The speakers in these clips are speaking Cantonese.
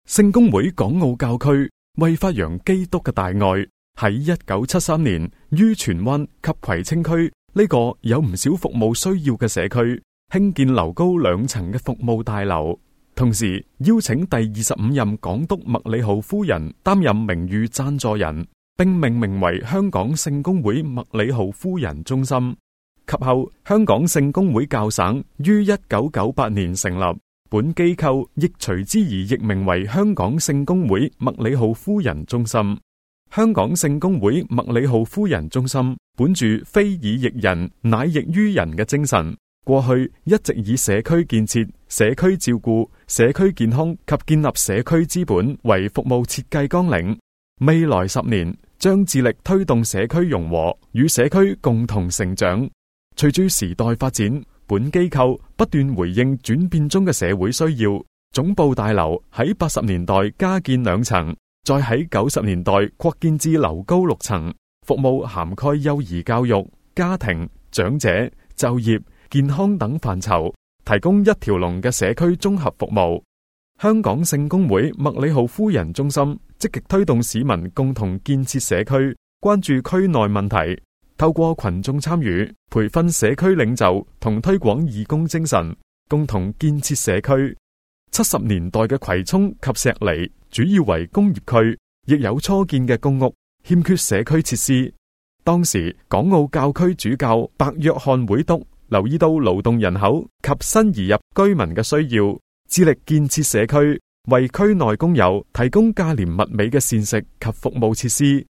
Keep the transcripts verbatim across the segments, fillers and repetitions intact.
聖公會港澳教區為發揚基督嘅大愛，喺一九七三年於荃灣及葵青區呢個有唔少服務需要嘅社區興建樓高兩層嘅服務大樓，同時邀請第二十五任港督麥理浩夫人擔任名譽贊助人，並命名為香港聖公會麥理浩夫人中心。及後香港聖公會教省於一九九八年成立，本機構亦隨之而易名為香港聖公會麥理浩夫人中心。香港聖公會麥理浩夫人中心本住非以役人乃役於人嘅精神，過去一直以社區建設、社區照顧、社區健康及建立社區資本為服務設計綱領。未來十年將致力推動社區融合，與社區共同成長。隨住時代發展，本機構不斷回應轉變中嘅社會需要，總部大樓喺八十年代加建兩層，再喺九十年代擴建至樓高六層，服務涵蓋幼兒教育、家庭、長者、就業、健康等範疇，提供一條龍嘅社區綜合服務。香港聖公會麥理浩夫人中心積極推動市民共同建設社區，關注區內問題，透過群眾參與、培訓社區領袖同推廣義工精神，共同建設社區。七十年代嘅葵涌及石籬主要為工業區，亦有初建嘅公屋，欠缺社區設施。當時港澳教區主教白約翰會督留意到勞動人口及新移入居民嘅需要，致力建設社區，為區內工友提供價廉物美嘅膳食及服務設施。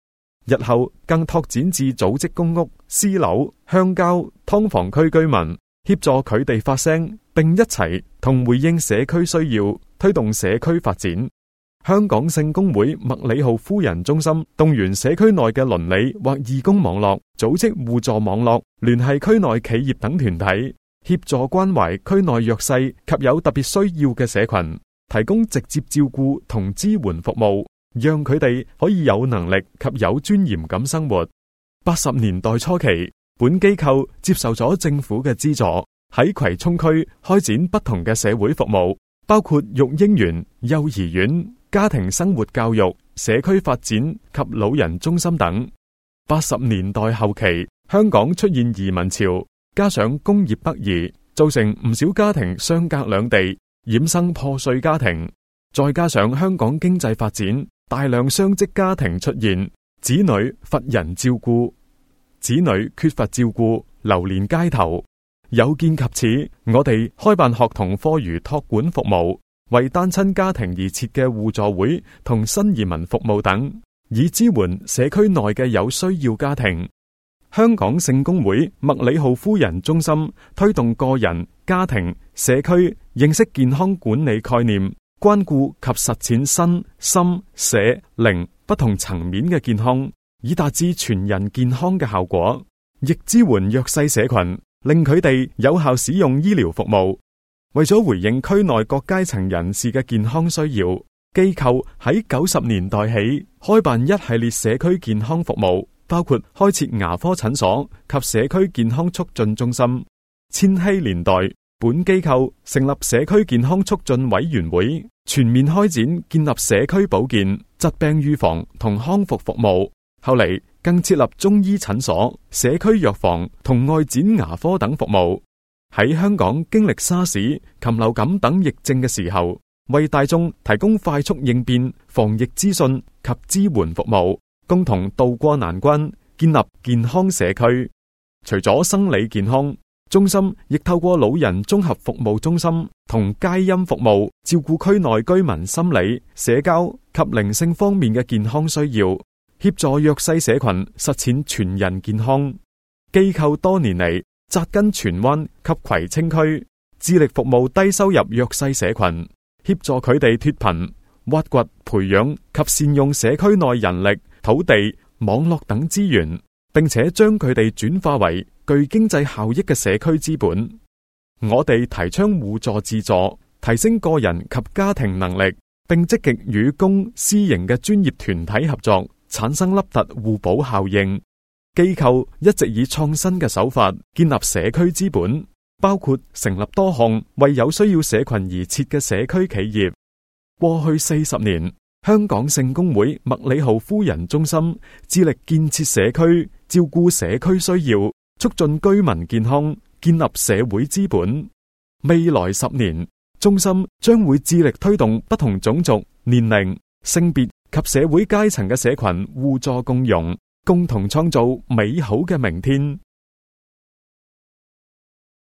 日後更拓展至組織公屋、私樓、鄉郊、劏房區居民，協助佢哋發聲，並一齊同回應社區需要，推動社區發展。香港聖公會麥理浩夫人中心動員社區內嘅鄰里或義工網絡，組織互助網絡，聯繫區內企業等團體，協助關懷區內弱勢及有特別需要嘅社群，提供直接照顧同支援服務，讓佢哋可以有能力及有尊嚴咁生活。八十年代初期，本機構接受咗政府嘅資助，喺葵涌區開展不同嘅社會服務，包括育嬰園、幼兒園、家庭生活教育、社區發展及老人中心等。八十年代後期，香港出現移民潮，加上工業北移，造成唔少家庭相隔兩地，衍生破碎家庭。再加上香港經濟發展，大量雙職家庭出現，子女乏人照顧，子女缺乏照顧，流連街頭。有見及此，我哋開辦學童課餘託管服務，為單親家庭而設嘅互助會同新移民服務等，以支援社區內嘅有需要家庭。香港聖公會麥理浩夫人中心推動個人、家庭、社區認識健康管理概念，關顧及實踐身心社靈不同層面嘅健康，以達至全人健康嘅效果，亦支援弱勢社群，令佢哋有效使用醫療服務。為咗回應區內各階層人士嘅健康需要，機構喺九十年代起開辦一系列社區健康服務，包括開設牙科診所及社區健康促進中心。千禧年代，本機構成立社區健康促進委員會，全面開展建立社區保健、疾病預防同康復服務。後嚟更設立中醫診所、社區藥房同外展牙科等服務。喺香港經歷沙士、禽流感等疫症嘅時候，為大眾提供快速應變、防疫資訊及支援服務，共同渡過難關，建立健康社區。除咗生理健康，中心亦透過老人綜合服務中心同佳音服務，照顧區內居民心理、社交及靈性方面嘅健康需要，協助弱勢社群實踐全人健康。機構多年嚟扎根荃灣及葵青區，致力服務低收入弱勢社群，協助佢哋脫貧，挖掘、培養及善用社區內人力、土地、網絡等資源，並且將佢哋轉化為具經濟效益嘅社區資本。我哋提倡互助自助，提升個人及家庭能力，並積極與公私營嘅專業團體合作，產生凹凸互補效應。機構一直以創新嘅手法建立社區資本，包括成立多項為有需要社群而設嘅社區企業。過去四十年，香港聖公會麥理浩夫人中心致力建設社區，照顧社區需要，促進居民健康，建立社會資本。未來十年，中心將會致力推動不同種族、年齡、性別及社會階層嘅社群互助共融，共同創造美好嘅明天。